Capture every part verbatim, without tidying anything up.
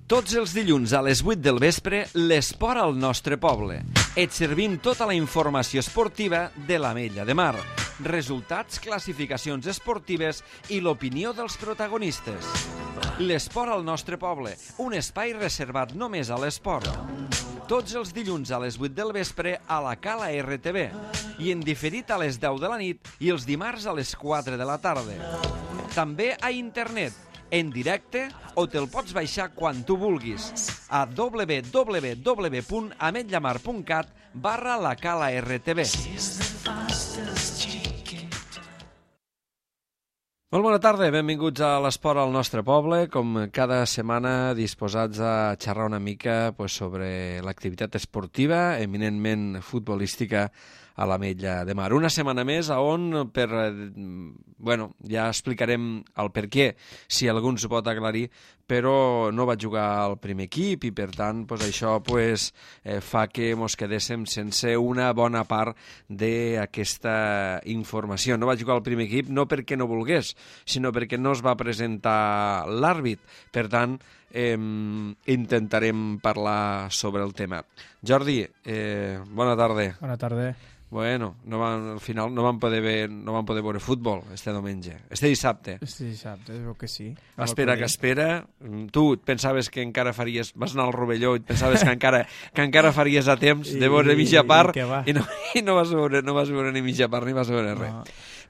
Tots els dilluns a les vuit del vespre, l'esport al nostre poble. Et servim tota la informació esportiva de l'Ametlla de Mar. Resultats, classificacions esportives i l'opinió dels protagonistes. L'esport al nostre poble, un espai reservat només a l'esport. Tots els dilluns a les vuit del vespre a la Cala R T V i en diferit a les deu de la nit i els dimarts a les quatre de la tarda. També a internet, en directe o te'l pots baixar quan tu vulguis a w w w punt ametllamar punt cat barra la Cala R T V. Molt bona tarda, benvinguts a l'esport al nostre poble, com cada setmana disposats a xerrar una mica pues, sobre l'activitat esportiva, eminentment futbolística a l'Ametlla de Mar. Una setmana més on, per, bueno, ja explicarem el per què, si algú ens ho pot aclarir, però no va jugar al primer equip i, per tant, pues, això pues, eh, fa que ens quedéssim sense una bona part d'aquesta informació. No va jugar al primer equip no perquè no volgués, sinó perquè no es va presentar l'àrbit. Per tant, eh, intentarem parlar sobre el tema. Jordi, eh, bona tarda. Bona tarda. Bueno, no van, al final no van poder ver, no van poder veure futbol este diumenge, este dissabte. Este dissabte, es veu que sí. Espera que espera. Tu et pensaves que encara faries... Vas anar al Rovelló i et pensaves que encara, que encara faries a temps I, de veure mitja part i, i, no, i no, vas veure, no vas veure ni mitja part ni vas veure res. No.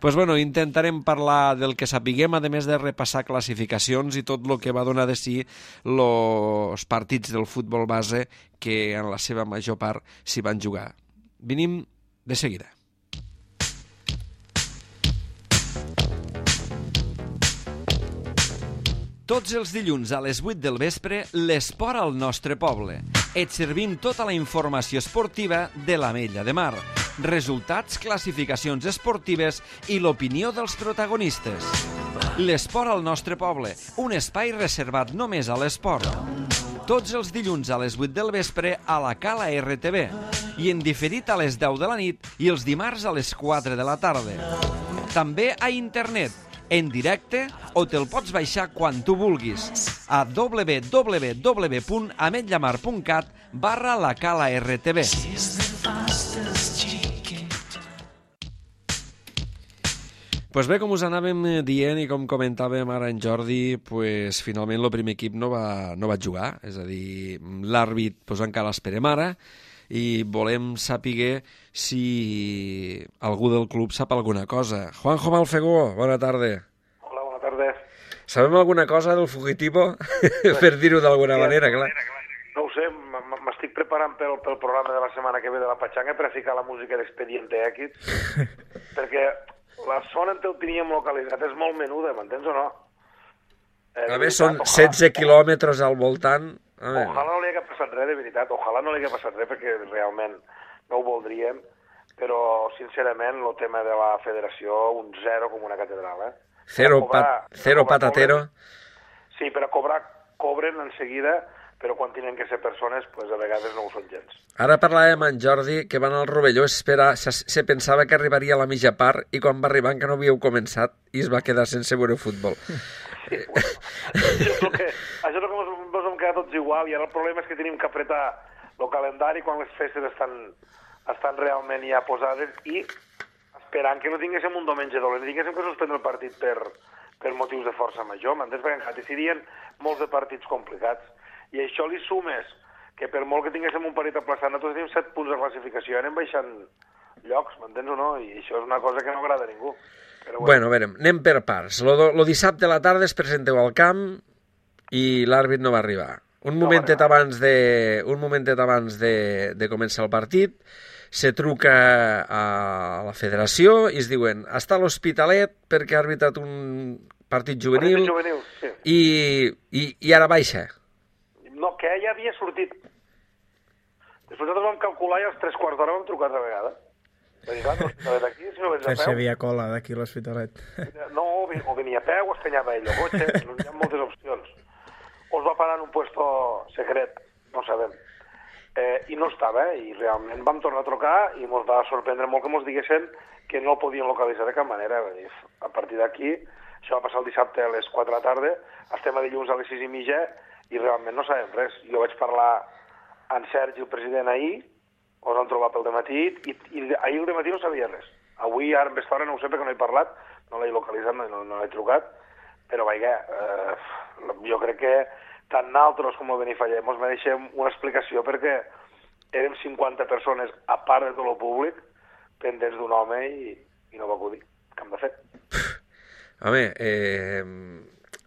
Pues bueno, intentarem parlar del que sapiguem, a més de repassar classificacions i tot el que va donar de si els partits del futbol base que en la seva major part s'hi van jugar. Venim de seguida. Tots els dilluns a les vuit del vespre, l'esport al nostre poble. Et servim tota la informació esportiva de l'Ametlla de Mar. Resultats, classificacions esportives i l'opinió dels protagonistes. L'esport al nostre poble, un espai reservat només a l'esport. Tots els dilluns a les vuit del vespre a la Cala R T V i en diferit a les deu de la nit i els dimarts a les quatre de la tarda. També a internet, en directe o te'l pots baixar quan tu vulguis a w w w punt ametllamar punt cat barra la Cala R T V. Pues bé, com us anàvem dient i com comentàvem ara en Jordi, pues finalment el primer equip no va, no va jugar, és a dir, l'àrbit pues, encara l'esperem ara i volem saber si algú del club sap alguna cosa. Juanjo Malfegó, bona tarda. Hola, bona tarda. Sabem alguna cosa del fugitivo? Per dir-ho d'alguna manera, clar. No ho sé, m'estic preparant pel, pel programa de la setmana que ve de la Pachanga per a ficar la música d'Expediente X, perquè la zona en què ho teníem localitzat és molt menuda, m'entens o no? Eh, a més, són setze quilòmetres al voltant. Ojalà no li hagués passat res, de veritat. Ojalà no li hagués passat res, perquè realment no ho voldríem, però, sincerament, el tema de la federació, un zero com una catedral, eh? Zero, cobrar, pat, zero cobrar, patatero. Cobren, sí, però cobrar, cobren en seguida, però quan tenen que ser persones, pues, a vegades no ho són gens. Ara parlàvem amb en Jordi, que van al Rovelló, espera, se, se pensava que arribaria a la mitja part, i quan va arribar encara no havíeu començat, i es va quedar sense veure futbol. Sí, bueno, això és el que, això és el que ens, ens hem quedat tots igual, i ara el problema és que tenim que apretar el calendari quan les festes estan, estan realment ja posades, i esperant que no tinguéssim un diumenge dolent, tinguéssim que suspendre el partit per, per motius de força major, m'entens? Perquè encara decidien molts de partits complicats. I això li sumes que per molt que tinguéssim un partit aplaçat, nosaltres tenim set punts de classificació, anem baixant llocs, m'entens o no? I això és una cosa que no agrada a ningú. Però bueno. bueno, a veure, anem per parts. Lo, lo dissabte a la tarda es presenteu al camp i l'àrbit no va arribar. Un no momentet arribar. abans, de, un momentet abans de, de començar el partit, se truca a la federació i es diuen està a l'Hospitalet perquè ha arbitrat un partit juvenil, partit juvenil sí. i, i, i ara baixa. No, que ja havia sortit. Després nosaltres vam calcular i als tres quarts d'hora vam trucar altra vegada. Va dir, clar, no d'aquí, si no vens a peu... Si havia cola d'aquí a l'Hospitalet. No, o venia a peu, o es penyava ell el cotxe, hi ha moltes opcions. O es va parar en un puesto secret, no sabem. Eh, I no estava, eh? I realment vam tornar a trucar i ens va sorprendre molt que ens diguessin que no el podien localitzar de cap manera. A partir d'aquí, això va passar el dissabte a les quatre de la tarda, estem a dilluns a les sis i mitja i realment no sabem res. Jo vaig parlar amb Sergi, el president, ahir, us han trobat pel dematí, i, i ahir el dematí no sabia res. Avui, ara en aquesta hora, no ho sé perquè no he parlat, no l'he localitzat, no, no l'he trucat, però vaja, eh, jo crec que tant nosaltres com el Benifallet ens mereixem una explicació perquè érem cinquanta persones, a part de tot el públic, pendents d'un home i, i no va acudir. Què hem de fer? Home, eh,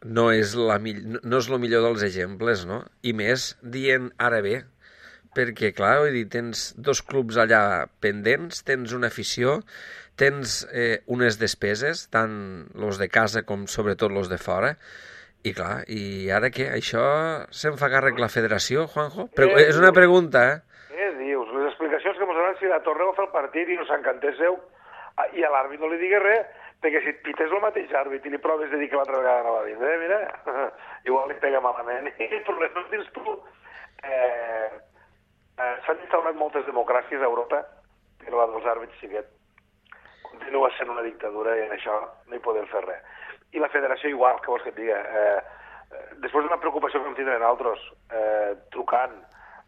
no és la no, no és el millor dels exemples, no? I més dient ara bé, perquè, clar, vull dir, tens dos clubs allà pendents, tens una afició, tens eh, unes despeses, tant els de casa com sobretot els de fora, i clar, i ara què? Això se'n fa càrrec la federació, Juanjo? Pre eh, és una pregunta, eh? Què dius? Les explicacions que ens donen si la torneu a fer el partit i no s'encantéssiu, i a l'àrbit no li digues res, perquè si et pites el mateix àrbit i li proves de dir que l'altra vegada no va vindre, mira, igual li pega malament, i el problema no tens tu. Eh, eh, S'han instaurat moltes democràcies a Europa, però la dels àrbits sí que continua sent una dictadura i en això no hi podem fer res. I la federació igual, què vols que et diga? Eh, després d'una preocupació que em tindrem altres, eh, trucant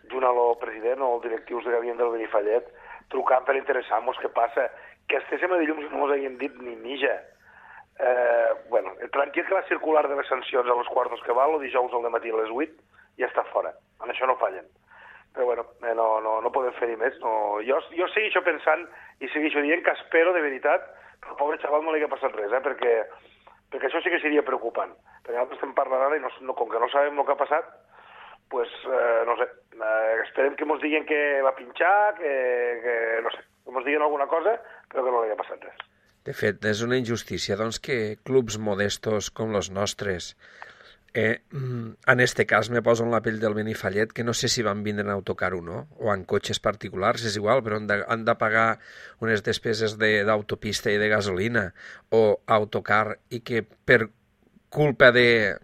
junt a el president o els directius de Gavien del Benifallet, trucant per interessar-nos què passa, que estéssim a dilluns no ens hagin dit ni mitja. Eh, bueno, tranquil que la circular de les sancions a les quartos que val, o dijous al matí a les vuit, ja està fora. En això no fallen. Però bueno, eh, no, no, no podem fer-hi més. No. Jo, jo segueixo pensant i segueixo dient que espero de veritat que al pobre xaval no li hagi passat res, eh, perquè, perquè això sí que seria preocupant. Perquè nosaltres estem parlant ara i no, no, com que no sabem el que ha passat, pues, eh, no sé, eh, esperem que ens diguin que va pinxar, que, que no sé, que ens diguin alguna cosa, però que no li ha passat res. De fet, és una injustícia, doncs, que clubs modestos com els nostres, eh, en este cas me poso en la pell del Benifallet, que no sé si van vindre en autocar o no, o en cotxes particulars, és igual, però han de, han de pagar unes despeses d'autopista de, i de gasolina, o autocar, i que per culpa de...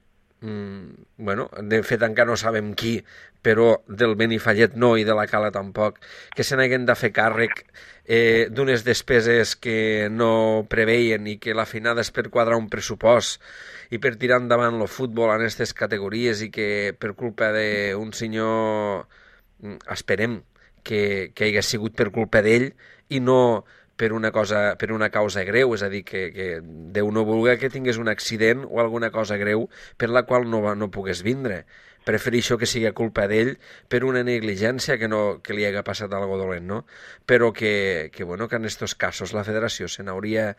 bueno, de fet encara no sabem qui, però del Benifallet no i de la Cala tampoc, que se n'haguen de fer càrrec eh, d'unes despeses que no preveien i que la finada és per quadrar un pressupost i per tirar endavant el futbol en aquestes categories i que per culpa d'un senyor, esperem que, que hagi sigut per culpa d'ell i no per una cosa, per una causa greu, és a dir, que, que Déu no vulgui que tingués un accident o alguna cosa greu per la qual no, no pogués vindre. Prefereixo que sigui culpa d'ell per una negligència que, no, que li hagi passat algo dolent, no? Però que, que, bueno, que en aquests casos la federació se n'hauria,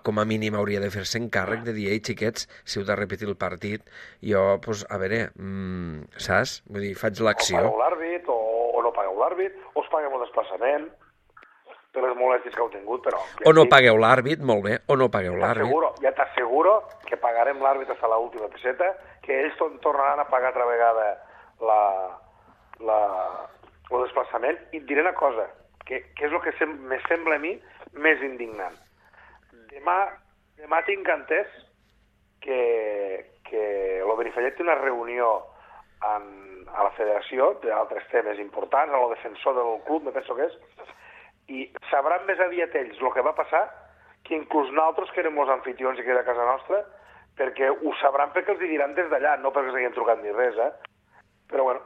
com a mínim hauria de fer-se encàrrec de dir, ei, xiquets, si heu de repetir el partit, jo, pues, a veure, mmm, saps? Vull dir, faig l'acció. O pagueu l'àrbit, o, o no pagueu l'àrbit, o us paguem el desplaçament, per les molèsties que heu tingut, però... O no pagueu l'àrbit, molt bé, o no pagueu l'àrbit. Ja t'asseguro que pagarem l'àrbit fins a l'última peseta, que ells tornaran a pagar altra vegada la, la, el desplaçament. I et diré una cosa, que, que és el que sem me sembla a mi més indignant. Demà, demà tinc entès que, que el Benifallet té una reunió en, a la federació d'altres temes importants, a lo defensor del club, me penso que és, i sabran més aviat ells el que va passar que inclús nosaltres, que érem els anfitrions i que era a casa nostra, perquè ho sabran perquè els diran des d'allà, no perquè s'hagin trucat ni res, eh? Però bueno,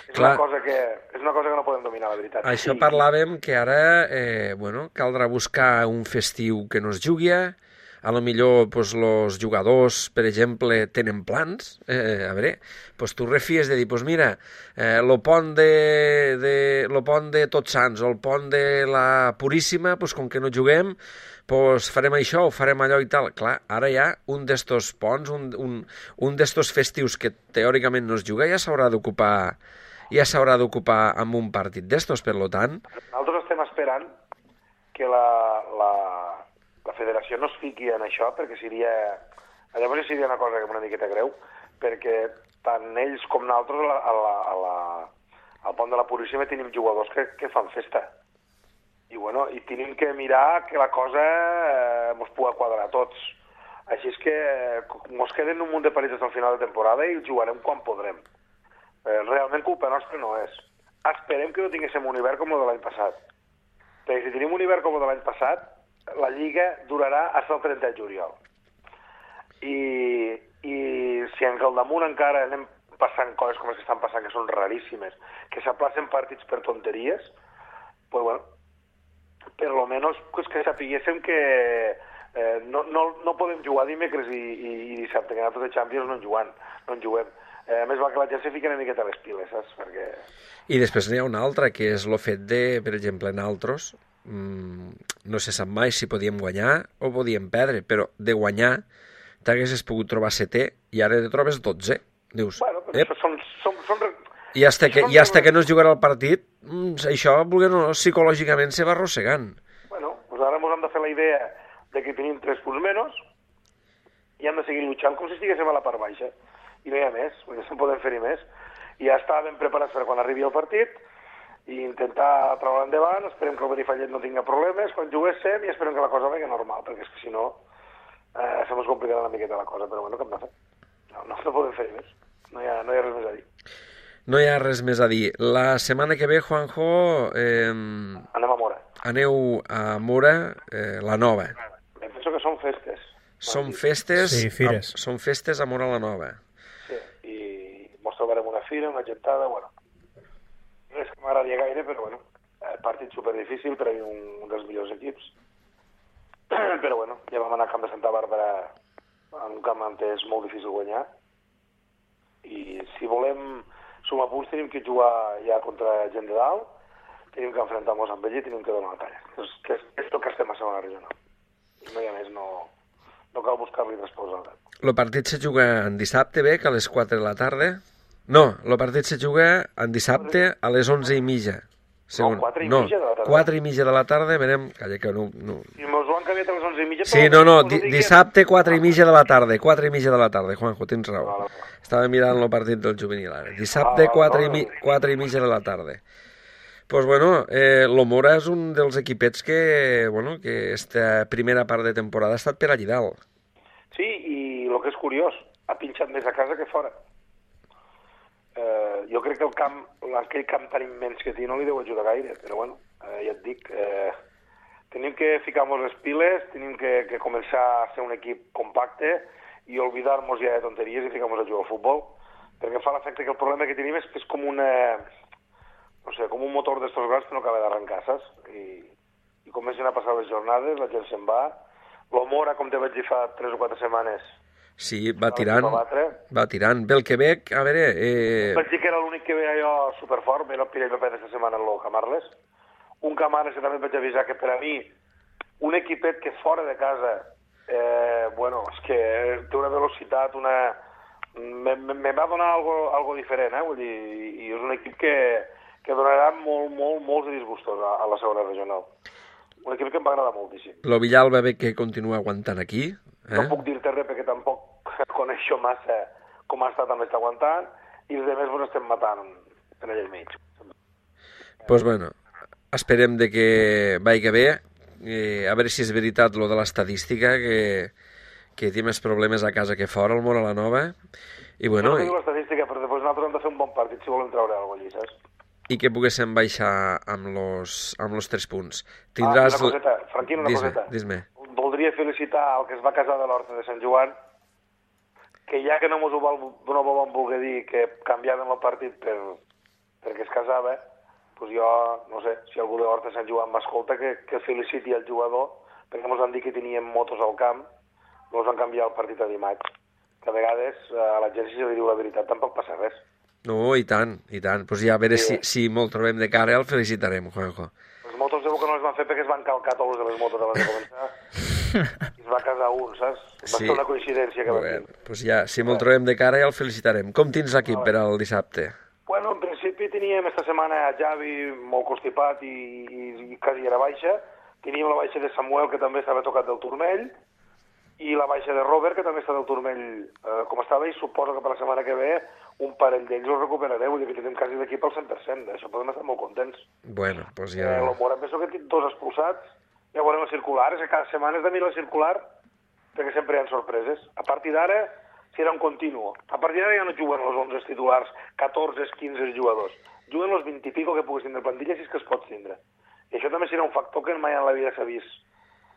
és una, cosa que, és una cosa que no podem dominar, la veritat. Això sí. Parlàvem que ara, eh, bueno, caldrà buscar un festiu que no es jugui, a lo millor pues, los jugadors, per exemple, tenen plans, eh, a veure, pues, tu refies de dir, pues mira, eh, lo pont de, de, lo pont de Tots Sants o el pont de la Puríssima, pues, com que no juguem, pues, farem això o farem allò i tal. Clar, ara ja un d'estos ponts, un, un, un d'estos festius que teòricament no es juga, ja s'haurà d'ocupar ja s'haurà d'ocupar amb un partit d'estos, per lo tant... Nosaltres estem esperant que la... la... la federació no es fiqui en això, perquè seria... Llavors seria una cosa una miqueta greu, perquè tant ells com nosaltres a la, a la, a la, al pont de la Puríssima tenim jugadors que, que fan festa. I, bueno, i tenim que mirar que la cosa eh, ens pugui quadrar a tots. Així és que ens queden un munt de partits al final de temporada i jugarem quan podrem. Eh, realment culpa nostra no és. Esperem que no tinguéssim un hivern com el de l'any passat. Perquè si tenim un hivern com el de l'any passat, la Lliga durarà fins al trenta de juliol. I, i si en el damunt encara anem passant coses com les que estan passant, que són raríssimes, que s'aplacen partits per tonteries, pues bueno, per lo menos pues, que sapiguéssim que eh, no, no, no podem jugar dimecres i, i, i dissabte, que nosaltres de Champions no en juguem. No en juguem. Eh, a més, va que la gent se fica una miqueta a les piles, saps? Perquè... I després n'hi ha una altra, que és el fet de, per exemple, nosaltres, mmm, no se sap mai si podíem guanyar o podíem perdre, però de guanyar t'haguessis pogut trobar setè i ara te trobes dotze. Dius, bueno, però això són... són, són... I hasta que, i hasta que no es jugarà el partit, això, volguem o no, psicològicament se va arrossegant. Bueno, doncs ara ens hem de fer la idea de que tenim tres punts menys i hem de seguir lluitant com si estiguéssim a la part baixa. I no hi ha més, perquè no podem fer-hi més. I ja està ben preparats per quan arribi el partit i intentar treure endavant, esperem que el Benifallet no tinga problemes, quan juguéssim i esperem que la cosa vegi normal, perquè és que si no eh, se mos complicarà una miqueta la cosa, però bueno, què hem de fer? No, no, no podem fer-hi més, no hi, ha, no hi ha res més a dir. No hi ha res més a dir. La setmana que ve, Juanjo, eh, anem a Mora. Aneu a Mora, eh, la Nova. Em penso que són festes. Són festes, Sí, fires. A, són festes a Mora la Nova. Sí, i mos trobarem una fira, una gentada, bueno. No és que m'agradaria gaire, però bueno, el partit superdifícil per a mi un, un dels millors equips. Però bueno, ja vam anar a Camp de Santa Bàrbara, en un camp on és molt difícil guanyar. I si volem sumar punts tenim que jugar ja contra gent de dalt, tenim que enfrontar-nos amb ell i tenim que donar la talla. És, que és, és el que estem a segona regional. I no hi ha més, no, no cal buscar-li resposta. El partit se juga en dissabte, bé, que a les quatre de la tarda. No, el partit se juga en dissabte a les onze i mitja. Segon. No, quatre i no, mitja de la tarda. quatre i mitja de la tarda, verem... Calla, que no... no. Si mos ho han canviat a les onze i mitja... Sí, no, no, di dissabte quatre i mitja de la tarda, quatre i mitja de la tarda, Juanjo, tens raó. Vale, vale. Estava mirant el partit del juvenil ara. Dissabte quatre i, mi quatre i mitja de la tarda. Pues bueno, eh, l'Omora és un dels equipets que, bueno, que esta primera part de temporada ha estat per allí dalt. Sí, i el que és curiós, ha pinxat més a casa que fora. Eh, jo crec que el camp, aquell camp tan immens que té no li deu ajudar gaire, però bueno, eh, ja et dic, eh, tenim que ficar-nos les piles, tenim que, que començar a ser un equip compacte i oblidar-nos ja de tonteries i ficar-nos a jugar al futbol, perquè em fa l'efecte que el problema que tenim és que és com una, no sé, com un motor d'estos grans que no acaba d'arrencar, saps? I, i comencen a passar les jornades, la gent se'n va, l'Omora, com te vaig dir fa tres o quatre setmanes, sí, va tirant, va tirant. Belquebec, a veure... Eh... Vaig dir que era l'únic que veia jo superfort, ve el Pirell Paper aquesta setmana en el Camarles. Un Camarles que també et vaig avisar que per a mi, un equipet que fora de casa, eh, bueno, és que té una velocitat, una... Me, me, me va donar algo, algo diferent, eh? Vull dir, i és un equip que, que donarà molt, molt, molts de disgustos a, a la segona regional. Un equip que em va agradar moltíssim. Lo Villalba ve que continua aguantant aquí. Eh? No puc dir-te res perquè tampoc coneixo massa com ha estat també està aguantant i els altres pues, estem matant en allà al mig. Pues bueno, esperem de que vagi bé, eh, a veure si és veritat lo de l'estadística, que, que té més problemes a casa que fora, el Mora la Nova. I bueno... No, no diu l'estadística, però després nosaltres hem de fer un bon partit si volem treure alguna cosa allí, saps? I que poguéssim baixar amb los, amb los tres punts. Tindràs... Ah, una coseta, Franquino, una dis-me, coseta. Dis-me. Voldria felicitar el que es va casar de l'Horta de Sant Joan, que ja que no mos ho vol, no vam voler dir que canviàvem el partit per, perquè es casava, doncs jo, no sé, si algú de l'Horta de Sant Joan m'escolta, que, que feliciti el jugador, perquè mos van dir que teníem motos al camp, mos van canviar el partit a dimarts. Que a vegades a la gent, si li diu la veritat, tampoc passa res. No, i tant, i tant. Pues ja a veure sí. si, si molt trobem de cara, el felicitarem, Juanjo. Les motos segur que no les van fer perquè es van calcar tots de les motos abans de començar. I es va casar un, saps? Va sí. ser una coincidència que bueno, va dir. Pues ja, si molt trobem de cara, ja el felicitarem. Com tens l'equip per al dissabte? Bueno, en principi teníem esta setmana a Javi molt constipat i, i, i quasi era baixa. Teníem la baixa de Samuel, que també estava tocat del turmell, i la baixa de Robert, que també està del turmell eh, com estava, i suposo que per la setmana que ve un parell d'ells els recuperareu, vull dir que tenim quasi l'equip al cent per cent, d'això podem estar molt contents. Bueno, doncs ja... Eh, L'Omora penso que tinc dos expulsats, ja veurem el circular, és que cada setmana és de mirar el circular, perquè sempre hi ha sorpreses. A partir d'ara serà un continu. A partir d'ara ja no juguen els onze titulars, catorze, quinze jugadors. Juguen els vint i pico que puguis tindre plantilla, si és que es pot tindre. I això també serà un factor que mai en la vida s'ha vist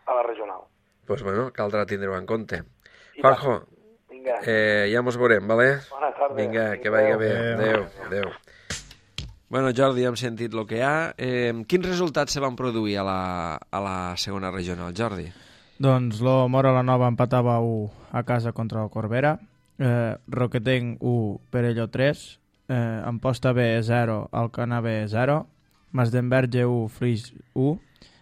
a la regional. Doncs pues bueno, caldrà tindre-ho en compte. Juanjo, Vinga. Eh, ja mos veurem, vale? Bona tarda. Vinga, que vagi bé. Adéu. Adéu. Adéu. Bueno, Jordi, hem sentit el que hi ha. Eh, quins resultats se van produir a la, a la segona regional, Jordi? Doncs lo Mora la Nova empatava u a casa contra el Corbera, eh, Roquetenc u, Perelló tres, eh, Amposta B zero, Alcanar B zero, Masdenverge u, Flix u,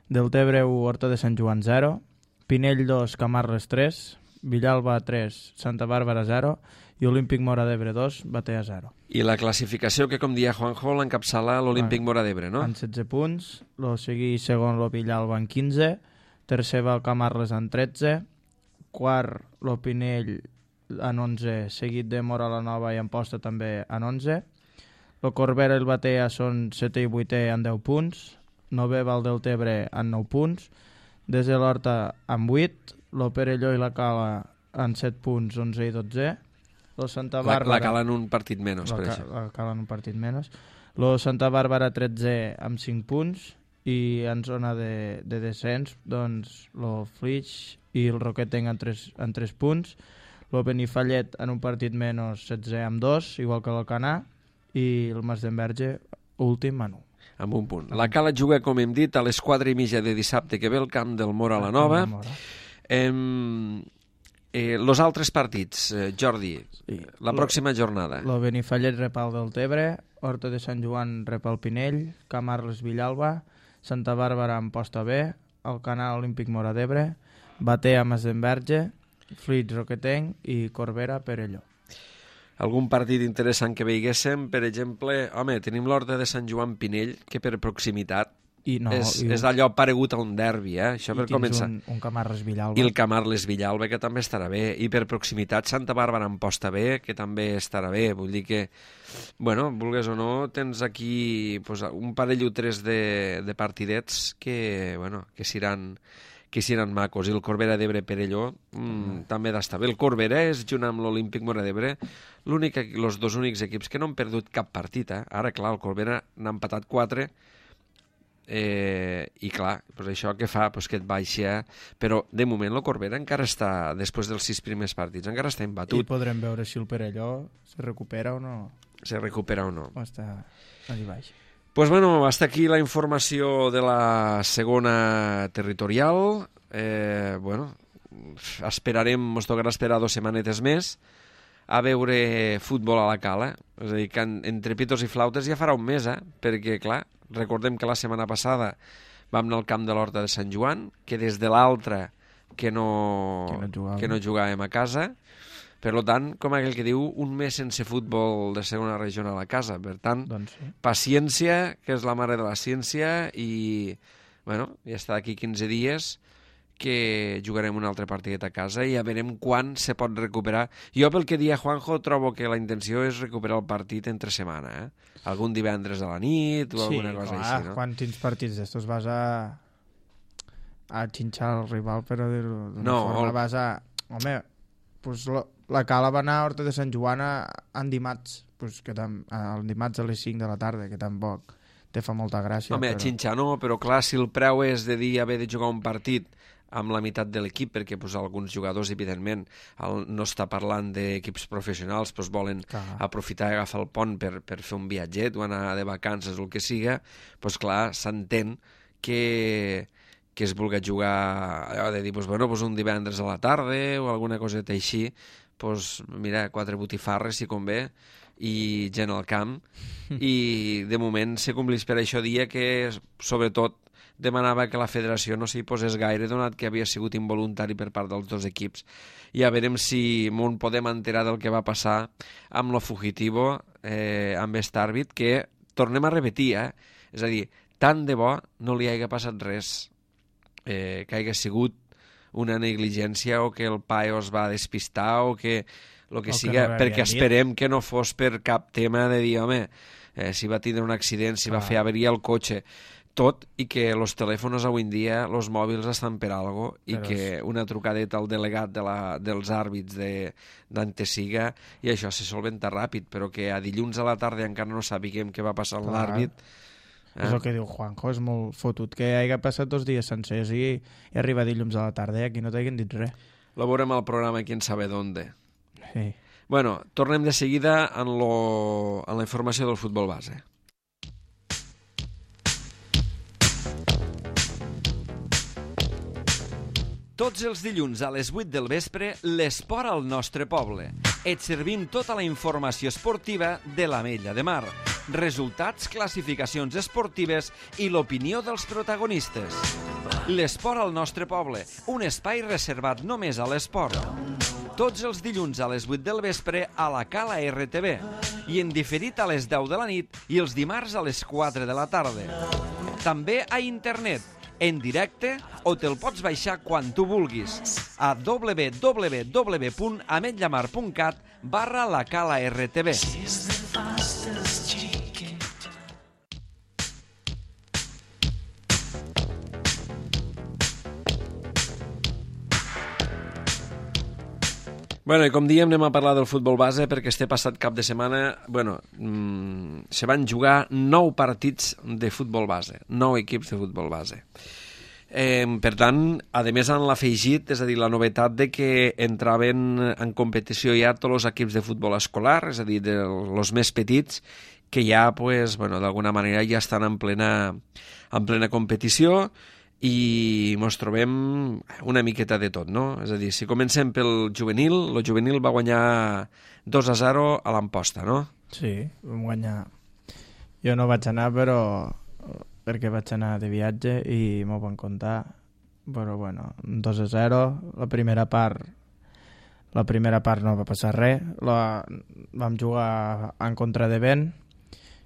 Deltebre u, Horta de Sant Joan zero, Pinell dos, Camarles tres, Villalba tres, Santa Bàrbara zero i Olímpic Mora d'Ebre dos, Batea zero. I la classificació que, com dia Juanjo, l'encapçala l'Olímpic Mora d'Ebre, no? En setze punts, lo seguí segon lo Villalba en quinze, tercer va el Camarles en tretze, quart lo Pinell en onze, seguit de Mora la Nova i Amposta també en onze, lo Corbera i el Batea són setè i vuitè en deu punts, novè va el Deltebre en nou punts, desde l'Horta en vuit, lo Perelló i la Cala en set punts, onze i dotze, lo Santa La, Bàrbara... la calen un partit menys, la, per ca- això. la Cala en un partit menys. Lo Santa Bàrbara tretze amb cinc punts i en zona de, de descens, doncs lo Flix i el Roquetenc en tres, en tres punts, lo Benifallet en un partit menys setze amb dos, igual que l'Alcanar, i el Masdenverge últim en un. Amb un punt. La Cala juga, com hem dit, a les quatre i mitja de dissabte que ve el camp del Mora la Nova. Em, eh, los altres partits, eh, Jordi, Sí. la pròxima jornada. Lo Benifallet rep el Deltebre, Horta de Sant Joan rep el Pinell, Camarles Villalba, Santa Bàrbara Amposta B, Alcanar Olímpic Mora d'Ebre, Batea Masdenverge, Flix Roquetenc i Corbera Perelló. Algun partit interessant que veiguéssim, per exemple, home, tenim l'Horta de Sant Joan Pinell, que per proximitat I no, és, i, és allò paregut a un derbi, eh? Això per i tens començar. un, un Camarles Villalba. I el Camarles Villalba, que també estarà bé. I per proximitat, Santa Bàrbara Amposta B, que també estarà bé. Vull dir que, bueno, vulgues o no, tens aquí pues, un parell o tres de, de partidets que, bueno, que seran que seran macos. I el Corbera d'Ebre Perelló mm, mm. també d'estar bé. El Corbera és, junt amb l'Olímpic Mora d'Ebre, l'únic, els dos únics equips que no han perdut cap partit. Eh? Ara, clar, el Corbera n'ha empatat quatre, eh, i clar, pues això que fa pues que et baixa, però de moment el Corbera encara està, després dels sis primers partits, encara està I embatut. podrem veure si el Perelló se recupera o no. Se recupera o no. O està allà baix. Pues bueno, hasta aquí la informació de la segona territorial. Eh, bueno, esperarem, ens tocarà esperar dues setmanetes més a veure futbol a la Cala. És a dir, que en, entre pitos i flautes ja farà un mes, eh? Perquè, clar, recordem que la setmana passada vam anar al camp de l'Horta de Sant Joan, que des de l'altra que no, Que no jugàvem. que no jugàvem a casa. Per tant, com aquell que diu, un mes sense futbol de segona regional a casa. Per tant, Doncs sí. paciència, que és la mare de la ciència, i bueno, ja està d'aquí quinze dies que jugarem un altre partidet a casa i ja veurem quan se pot recuperar. Jo, pel que dia Juanjo, trobo que la intenció és recuperar el partit entre setmana, eh? Algun divendres a la nit o alguna cosa clar, així, no? quan tens partits d'estos vas a a xinxar el rival, però d'una No, forma el- vas a... Home, pues la, la Cala va anar a Horta de Sant Joan a, en dimarts, pues que tam, el dimarts a les cinc de la tarda, que tampoc te fa molta gràcia. Home, però... xinxar no, però clar, si el preu és de dir haver de jugar un partit amb la meitat de l'equip, perquè pues, alguns jugadors, evidentment, el, no està parlant d'equips professionals, pues, volen Clar. aprofitar i agafar el pont per, per fer un viatget o anar de vacances o el que siga, pues, clar, s'entén que, que es vulgui jugar allò de dir, pues, bueno, pues, un divendres a la tarda o alguna coseta així, pues, mira, quatre botifarres, si convé, i gent al camp, i de moment se complís per això dia que, sobretot, demanava que la federació no s'hi posés gaire, donat que havia sigut involuntari per part dels dos equips. Ja veurem si m'on podem enterar del que va passar amb lo fugitivo, eh, amb aquest àrbit, que tornem a repetir, eh? És a dir, tant de bo no li hagi passat res, eh, que hagi sigut una negligència o que el paio es va despistar o que el que O que siga, no perquè l'havien dit. esperem que no fos per cap tema de dir, home, eh, si va tindre un accident, si va Clar. fer averia el cotxe, tot, i que els telèfons avui en dia, els mòbils estan per algo, i Però que és- una trucadeta al delegat de la, dels àrbits de- d'Antesiga, i això se solventa ràpid, però que a dilluns a la tarda encara no sabíem què va passar amb Clar. l'àrbit. És el que diu Juanjo, és molt fotut que hagi passat dos dies sencers i, i arriba dilluns a la tarda i aquí no t'hagin dit res. Lo veurem al programa Quién sabe dónde. Sí. Bueno, tornem de seguida en, lo, en la informació del futbol base. Tots els dilluns a les vuit del vespre, l'esport al nostre poble. Et servim tota la informació esportiva de l'Ametlla de Mar. Resultats, classificacions esportives i l'opinió dels protagonistes. L'esport al nostre poble, un espai reservat només a l'esport. Tots els dilluns a les vuit del vespre a la Cala R T V i en diferit a les deu de la nit i els dimarts a les quatre de la tarda. També a internet, en directe, o te'l pots baixar quan tu vulguis a w w w punt ametllamar punt cat barra la Cala R T V. Bueno, i com diem, anem a parlar del futbol base perquè este passat cap de setmana, bueno, mmm, se van jugar nou partits de futbol base, nou equips de futbol base. Eh, per tant, a més han l'afegit, és a dir, la novetat de que entraven en competició ja tots els equips de futbol escolar, és a dir, dels més petits, que ja, pues, bueno, d'alguna manera ja estan en plena, en plena competició, i ens trobem una miqueta de tot, no? És a dir, si comencem pel juvenil, el juvenil va guanyar dos a zero a l'Amposta, no? Sí, vam guanyar. Jo no vaig anar, però perquè vaig anar de viatge i m'ho van contar, però bueno, dos a zero, la primera part la primera part no va passar res, la, vam jugar en contra de vent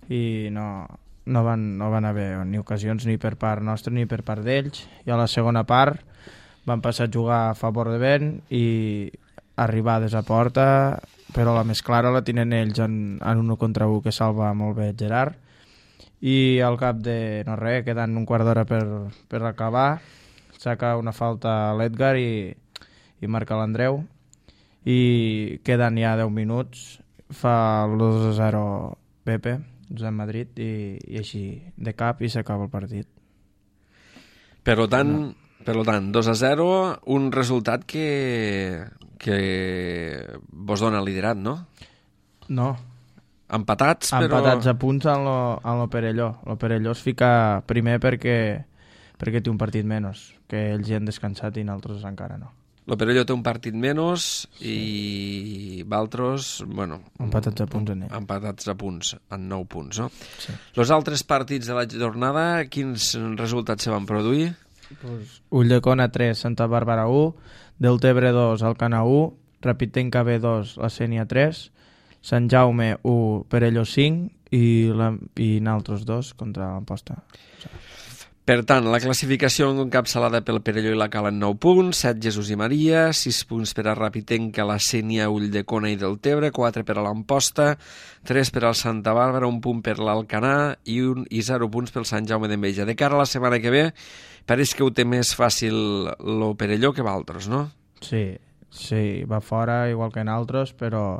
i no, no, van, no van haver ni ocasions ni per part nostra ni per part d'ells, i a la segona part van passar a jugar a favor de vent i arribades a porta, però la més clara la tenen ells en, en un contra un que salva molt bé Gerard, i al cap de no res, quedant un quart d'hora per, per acabar, saca una falta a l'Edgar i, i marca l'Andreu, i queden ja deu minuts, fa el dos a zero Pepe, Josep Madrid, i, i així de cap i s'acaba el partit. Per tant, no. per tant, dos a zero, un resultat que, que vos dona liderat, no? No. Empatats, però... Empatats a punts en lo, en lo Perelló. Lo Perelló es fica primer perquè, perquè té un partit menys, que ells hi han descansat i nosaltres encara no. Lo Perelló té un partit menys i Valtros, bueno... Empatats a punts en ell. Empatats a punts, en nou punts, no? Sí. Els altres partits de la jornada, quins resultats se van produir? Pues, Ulldecona tres, Santa Bàrbara u, Deltebre dos, Alcanar u, Rapitenca B dos, La Sénia tres, Sant Jaume u, Perelló cinc i, la, i naltros dos contra l'Amposta. Per tant, la classificació encapçalada pel Perelló i la Cala en nou punts, set Jesús i Maria, sis punts per a Rapitenca, La Sénia, Ulldecona i Deltebre, quatre per a l'Amposta, tres per al Santa Bàrbara, un punt per l'Alcanar i, un, i zero punts pel Sant Jaume d'Enveja. De cara a la setmana que ve, pareix que ho té més fàcil lo Perelló que Valtros, no? Sí, sí, va fora igual que en altres, però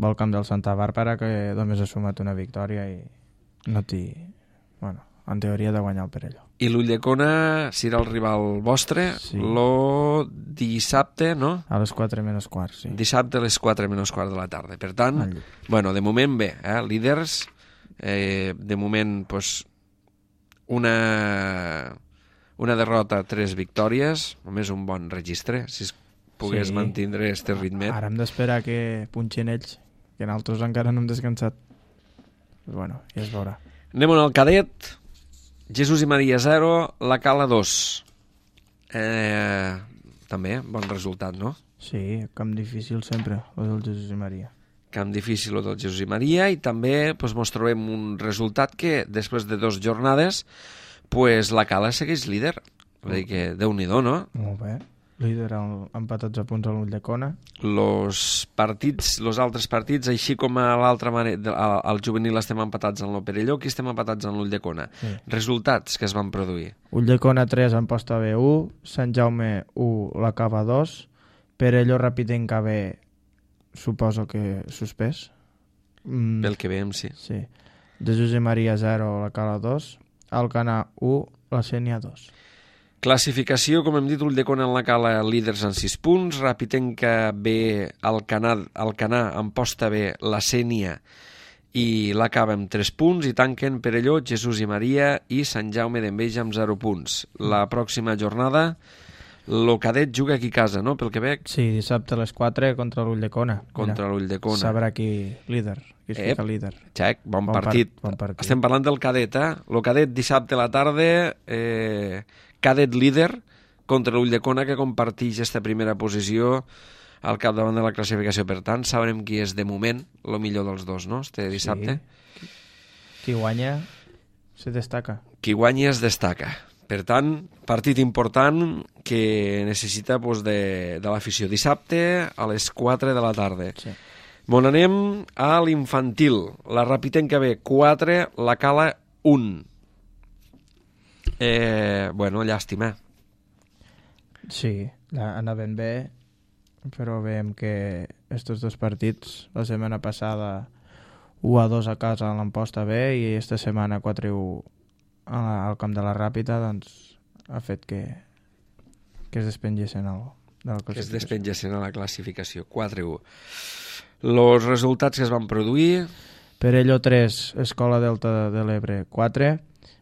va al camp del Santa Bàrbara, que només ha sumat una victòria i no té... Bueno, en teoria de guanyar el Perelló. I l'Ulldecona serà el rival vostre sí. Lo dissabte, no? A les quatre menys quart, sí. Dissabte a les quatre menys quart de la tarda. Per tant, bueno, de moment bé, eh? Líders, eh, de moment, pues, una, una derrota, tres victòries, només un bon registre, si es pogués sí. mantindre este ritme. Ara hem d'esperar que punxin ells, que nosaltres encara no hem descansat. Però bueno, ja es veurà. Anem al cadet. Jesús i Maria zero, la Cala dos. Eh, també, bon resultat, no? Sí, camp difícil sempre, el del Jesús i Maria. Camp difícil el del Jesús i Maria, i també pues, mos trobem un resultat que després de dues jornades pues, la Cala segueix líder. Vull dir que Déu-n'hi-do, no? Molt bé. Líder empatats a punts a l'Ulldecona. Los partits, los altres partits, així com a l'altra manera, al juvenil estem empatats en el Perelló, aquí estem empatats en l'Ulldecona. Sí. Resultats que es van produir. Ulldecona tres, Amposta B u, Sant Jaume u, la Cava dos, Perelló Rapitenca B, suposo que suspès. Mm. Pel que veiem, sí. Sí. Jesús i Maria zero, la Cala dos, Alcanar u, la Sénia dos. Classificació, com hem dit, Ulldecona en la Cala líders en sis punts, Rapitenca B, Alcanar, Alcanar, Amposta B, la Sénia i l'Acaba amb tres punts, i tanquen Perelló, Jesús i Maria i Sant Jaume d'Enveja amb zero punts. La pròxima jornada, lo Cadet juga aquí a casa, no?, pel que veig. Sí, dissabte a les quatre contra l'Ulldecona. Contra l'Ulldecona. Sabrà qui líder, qui es Ep, fica líder. Xec, bon, Bon partit. part- bon partit. Estem parlant del Cadet, eh? Lo Cadet dissabte a la tarda, eh, Cadet líder contra l'Ulldecona, que comparteix aquesta primera posició al capdavant de la classificació. Per tant, sabrem qui és de moment el millor dels dos, no?, este dissabte. Sí. Qui guanya se destaca. Qui guanyi es destaca. Per tant, partit important que necessita pues, de, de l'afició. Dissabte a les quatre de la tarda. Sí. Bon, anem a l'infantil. La Rapitenca B, quatre, la Cala, un. Eh, bueno, llàstima. Sí, la- anaven bé, però veiem que estos dos partits, la setmana passada u a dos a casa a l'Amposta B i esta setmana quatre a u al camp de la Ràpita, doncs ha fet que, que es despengessin el, de la Que es classificació. despengessin a la classificació. quatre a u. Els resultats que es van produir... Perelló tres, Escola Delta de l'Ebre quatre,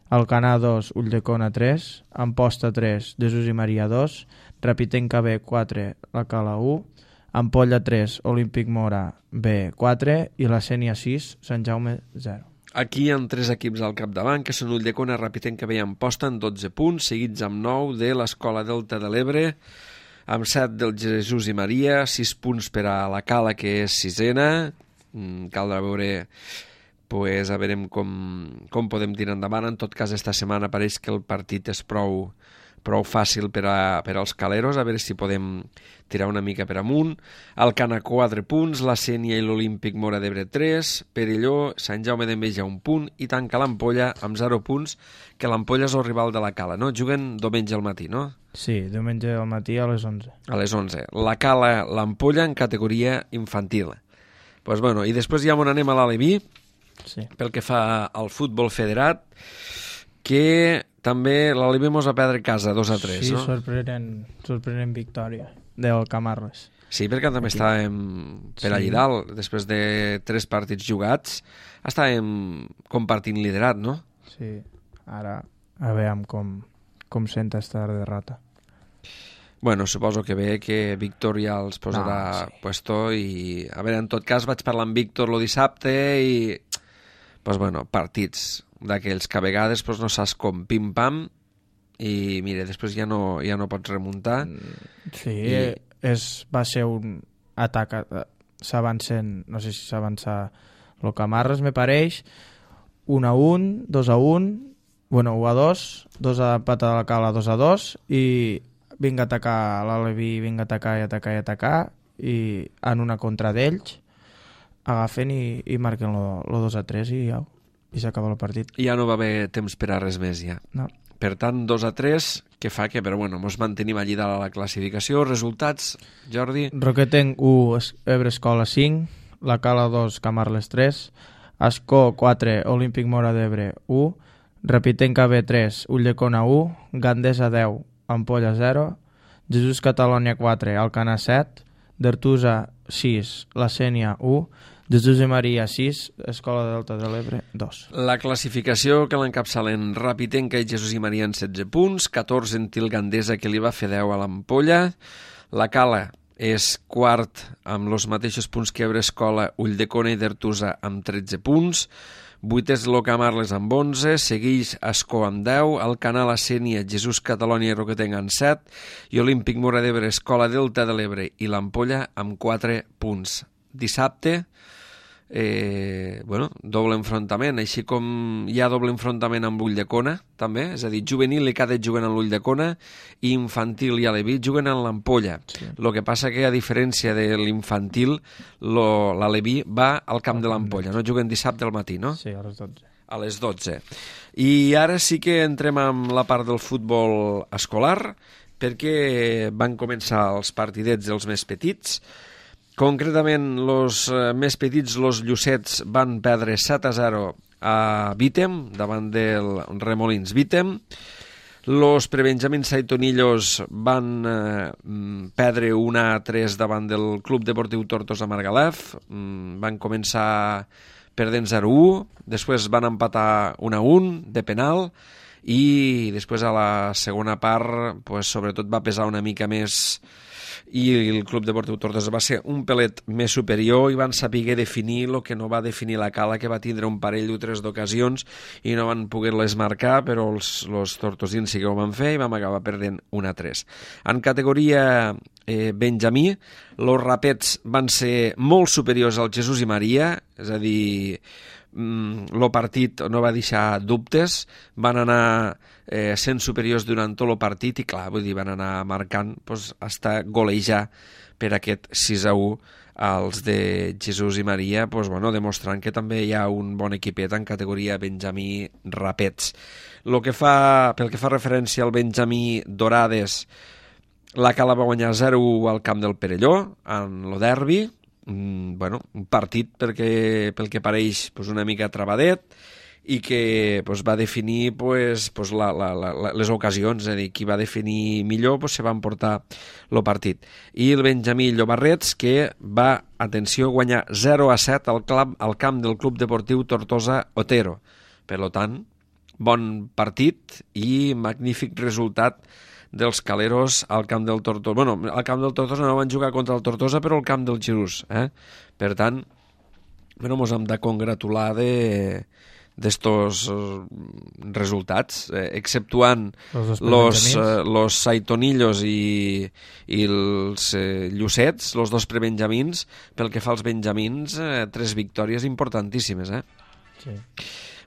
Alcanar dos, Ulldecona tres, Amposta tres, Jesús i Maria dos, Rapitenca B quatre, la Cala u, Ampolla tres, Olímpic Mora B quatre i la Sénia sis, Sant Jaume zero. Aquí hi ha tres equips al capdavant, que són Ulldecona, Rapitenca B i Amposta, en dotze punts, seguits amb nou de l'Escola Delta de l'Ebre, amb set del Jesús i Maria, sis punts per a la Cala, que és sisena. Mm, caldrà veure, pues, a veure com, com podem tirar endavant. En tot cas, esta setmana pareix que el partit és prou, prou fàcil per, a, per als caleros, a veure si podem tirar una mica per amunt. Alcanar quatre punts, la Sénia i l'Olímpic Mora d'Ebre tres, Perelló, Sant Jaume d'Enveja un punt i tanca l'Ampolla amb zero punts, que l'Ampolla és el rival de la Cala, no? Juguen diumenge al matí, no? Sí, diumenge al matí a les onze. A les onze. La Cala, l'Ampolla en categoria infantil. Pues bueno, i després ja on anem a l'Aleví, Sí. pel que fa al futbol federat, que també l'Aleví mos va perdre a casa dos a tres, sí, no? sorprenent, sorprenent victòria del Camarles. Sí, perquè també Aquí. estàvem per allà Sí. dalt, després de tres partits jugats, estàvem compartint liderat, no? Sí, ara a veure com, com senta esta derrota. Bueno, suposo que bé que Víctor ja els posarà No, sí. puesto i... A veure, en tot cas vaig parlar amb Víctor lo dissabte i... Pues bueno, partits d'aquells que a vegades pues, no saps com pim-pam i mira, després ja no, ja no pots remuntar. Sí, I- I... és, va ser un atac, eh, s'avancen, no sé si s'avança el Camarles, me pareix, un a un, dos a un, bueno, un a dos, dos a pata de la Cala, dos a dos, i vinga a atacar l'Aleví, vinga a atacar i atacar i atacar, i en una contra d'ells agafen i, i marquen el dos a tres i, au, i s'acaba el partit. I ja no va haver temps per a res més ja. No. Per tant, dos a tres, que fa que, però bueno, mos mantenim allí dalt a la classificació. Resultats, Jordi? Roquetenc u, Es- Ebre Escola cinc, la Cala dos, Camarles tres, Ascó quatre, Olímpic Mora d'Ebre u, Rapitenca B tres, Ulldecona u, Gandesa deu, Ampolla zero, Jesús Catalònia quatre, Alcanar set, d'Artusa sis, la Sénia u, Jesús i Maria sis, Escola Delta de l'Ebre dos. La classificació que l'encapçalen Rapitenca i Jesús i Maria en setze punts, catorze en Til Gandesa, que li va fer deu a l'Ampolla. La Cala és quart amb els mateixos punts que Ebre Escola, Ulldecona i d'Artusa amb tretze punts. Vuitè és l'Ocamarles amb onze, segueix Ascó amb deu, Alcanar, la Sénia, Jesús Catalònia i Roquetenc amb set i Olímpic Mora d'Ebre, Escola Delta de l'Ebre i l'Ampolla amb quatre punts. Dissabte, eh, bueno, doble enfrontament, així com hi ha doble enfrontament amb l'Ulldecona, també, és a dir, juvenil i cadet juguen en l'Ulldecona i infantil i aleví juguen en l'Ampolla. Sí. El que passa que, a diferència de l'infantil, lo- l'aleví va al camp de l'Ampolla, no juguen dissabte al matí, no? Sí, a les dotze. A les dotze. I ara sí que entrem amb la part del futbol escolar, perquè van començar els partidets dels més petits. Concretament, els eh, més petits, els Llucets, van perdre set a zero a Vítem, davant del Remolins Vítem. Los prebenjamins Saitonillos van eh, perdre un a tres davant del Club Deportiu Tortosa Margalef. Mm, van començar perdent zero a u, després van empatar un a un de penal i després a la segona part pues, sobretot va pesar una mica més i el Club Deportiu Tortosa va ser un pelet més superior i van saber definir el que no va definir la Cala, que va tindre un parell o tres d'ocasions i no van poder-les marcar, però els, els tortosins sí que ho van fer i vam acabar perdent un a tres. En categoria eh, Benjamí, els rapets van ser molt superiors al Jesús i Maria, és a dir, el partit no va deixar dubtes, van anar eh, sent superiors durant tot el partit i clar, vull dir, van anar marcant pues, hasta golejar per aquest sis a u als de Jesús i Maria, pues, bueno, demostrant que també hi ha un bon equipet en categoria Benjamí Rapets. Lo que fa, pel que fa referència al Benjamí Dorades, la Cala va guanyar zero a u al camp del Perelló en lo derbi. Mm, bueno, un partit perquè, pel que pareix pues, una mica travadet i que pues, va definir pues, pues, la, la, la, les ocasions, és a dir, qui va definir millor pues, se va emportar el partit. I el Benjamí Llobarrets, que va, atenció, guanyar zero a set al, club, al camp del Club Deportiu Tortosa Otero. Per tant, bon partit i magnífic resultat dels caleros al camp del Tortosa. Bueno, al camp del Tortosa no van jugar contra el Tortosa, però al camp del Jesús. Eh? Per tant, bueno, mos hem de congratular de d'estos resultats, eh, exceptuant los, eh, los Saitonillos i, i els eh, Llucets, los dos prebenjamins. Pel que fa als benjamins, eh, tres victòries importantíssimes. Eh? Sí.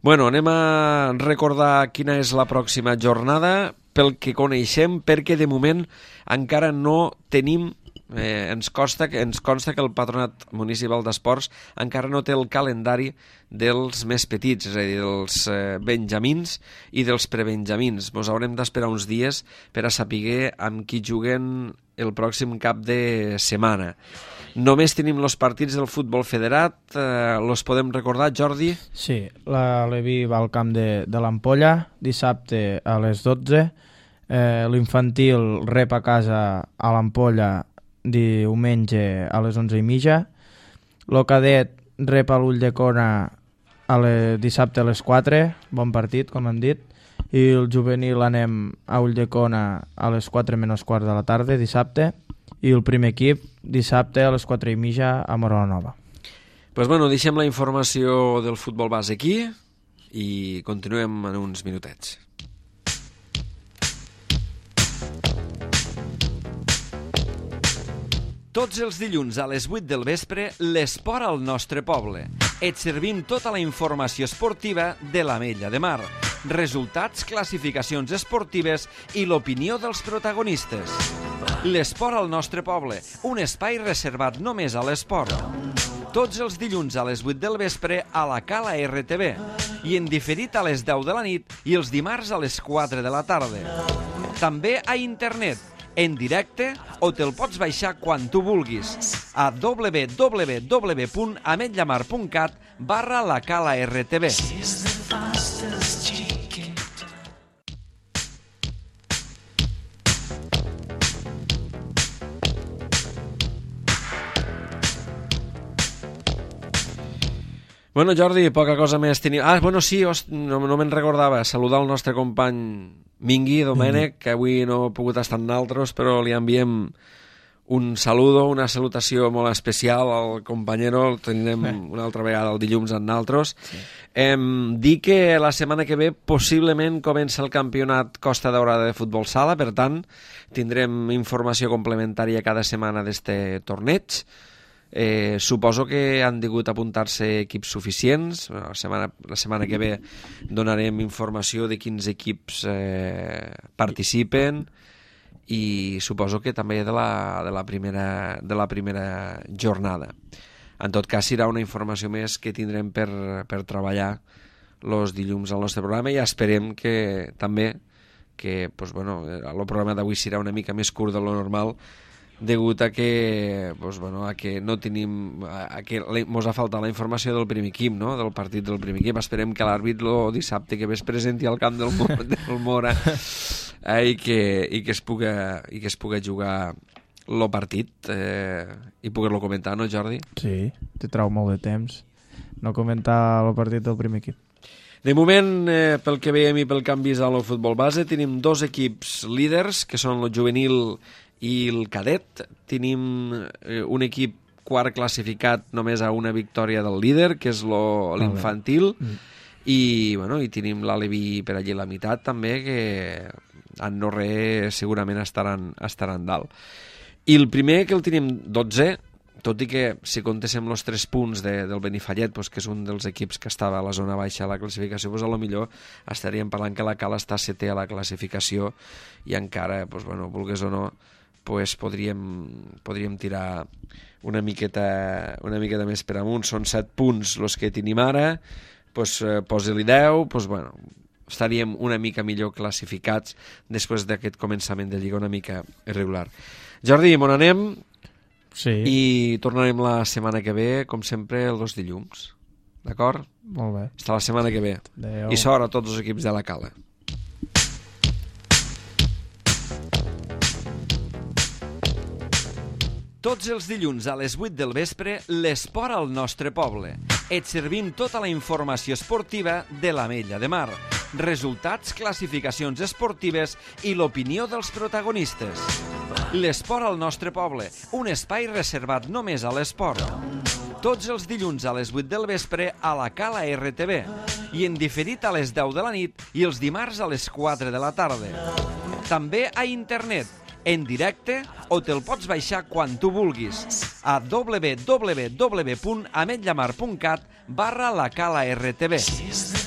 Bueno, anem a recordar quina és la pròxima jornada pel que coneixem, perquè de moment encara no tenim, eh, ens, costa, ens consta que el Patronat Municipal d'Esports encara no té el calendari dels més petits, és a dir, dels eh, benjamins i dels prebenjamins. Ens haurem d'esperar uns dies per a saber amb qui juguen el pròxim cap de setmana. Només tenim els partits del futbol federat, eh, els podem recordar, Jordi? Sí, la Levi va al camp de, de l'Ampolla, dissabte a les dotze, eh, l'infantil rep a casa a l'Ampolla diumenge a les onze i mitja, el cadet rep a l'Ulldecona a le, dissabte a les quatre, bon partit, com hem dit, i el juvenil anem a Ulldecona a les quatre menys quart de la tarda, dissabte, i el primer equip dissabte a les quatre i mitja a Móra la Nova. Pues bueno, deixem la informació del futbol base aquí i continuem en uns minutets. Tots els dilluns a les vuit del vespre, l'esport al nostre poble. Et servim tota la informació esportiva de l'Ametlla de Mar, resultats, classificacions esportives i l'opinió dels protagonistes. L'esport al nostre poble, un espai reservat només a l'esport. Tots els dilluns a les vuit del vespre a la Cala R T V i en diferit a les deu de la nit i els dimarts a les quatre de la tarda. També a internet, en directe, o te'l pots baixar quan tu vulguis a w w w punt ametllamar punt cat barra la Cala R T V. Bueno, Jordi, poca cosa més tenia... Ah, bueno, sí, host... no, no me'n recordava. Saludar el nostre company Mingui Domènech, mm-hmm. que avui no ha pogut estar amb nosaltres, però li enviem un saludo, una salutació molt especial al companyero. El tindrem eh. una altra vegada el dilluns amb nosaltres. Sí. Eh, dir que la setmana que ve possiblement comença el campionat Costa Daurada de futbol sala, per tant, tindrem informació complementària cada setmana d'este torneig. Eh, suposo que han degut apuntar-se equips suficients. La setmana, la setmana que ve donarem informació de quins equips eh, participen i suposo que també de la, de la, primera, de la primera jornada. En tot cas, serà una informació més que tindrem per, per treballar els dilluns al nostre programa i esperem que també que pues, bueno, el programa d'avui serà una mica més curt de lo normal degut a que, pues, bueno, a que no tenim, a que mos ha faltat la informació del primer equip, no? Del partit del primer equip. Esperem que l'àrbit el dissabte que ve es presenti al camp del, del Mora eh, i, que, i, que es puga, i que es puga jugar el partit eh, i poder-lo comentar, no, Jordi? Sí, te trau molt de temps no comentar el partit del primer equip. De moment, eh, pel que veiem i pel que hem vist al futbol base, tenim dos equips líders, que són el juvenil i el cadet. Tenim eh, un equip quart classificat només a una victòria del líder, que és lo, l'infantil, mm. i, bueno, i tenim l'Alevi per allí a la meitat també, que en no res segurament estaran, estaran dalt. I el primer, que el tenim dotze, tot i que si contéssim els tres punts de, del Benifallet, pues, que és un dels equips que estava a la zona baixa a la classificació, pues, a lo millor estaríem parlant que la Cala està setè a la classificació i encara, pues, bueno, vulgues o no, pues, podríem, podríem tirar una miqueta, una miqueta més per amunt. Són set punts els que tenim ara, pues, eh, posa-li deu, pues, bueno, estaríem una mica millor classificats després d'aquest començament de Lliga una mica irregular. Jordi, on anem? Sí. I tornarem la setmana que ve, com sempre, els dos dilluns. D'acord? Molt bé. Fins la setmana que ve. Adeu. I sort a tots els equips de la Cala. Tots els dilluns a les vuit del vespre, l'esport al nostre poble. Et servim tota la informació esportiva de l'Ametlla de Mar. Resultats, classificacions esportives i l'opinió dels protagonistes. L'esport al nostre poble, un espai reservat només a l'esport. Tots els dilluns a les vuit del vespre a la Cala R T V i en diferit a les deu de la nit i els dimarts a les quatre de la tarda. També a internet, en directe, o te'l pots baixar quan tu vulguis a w w w punt ametllamar punt cat barra la Cala R T V.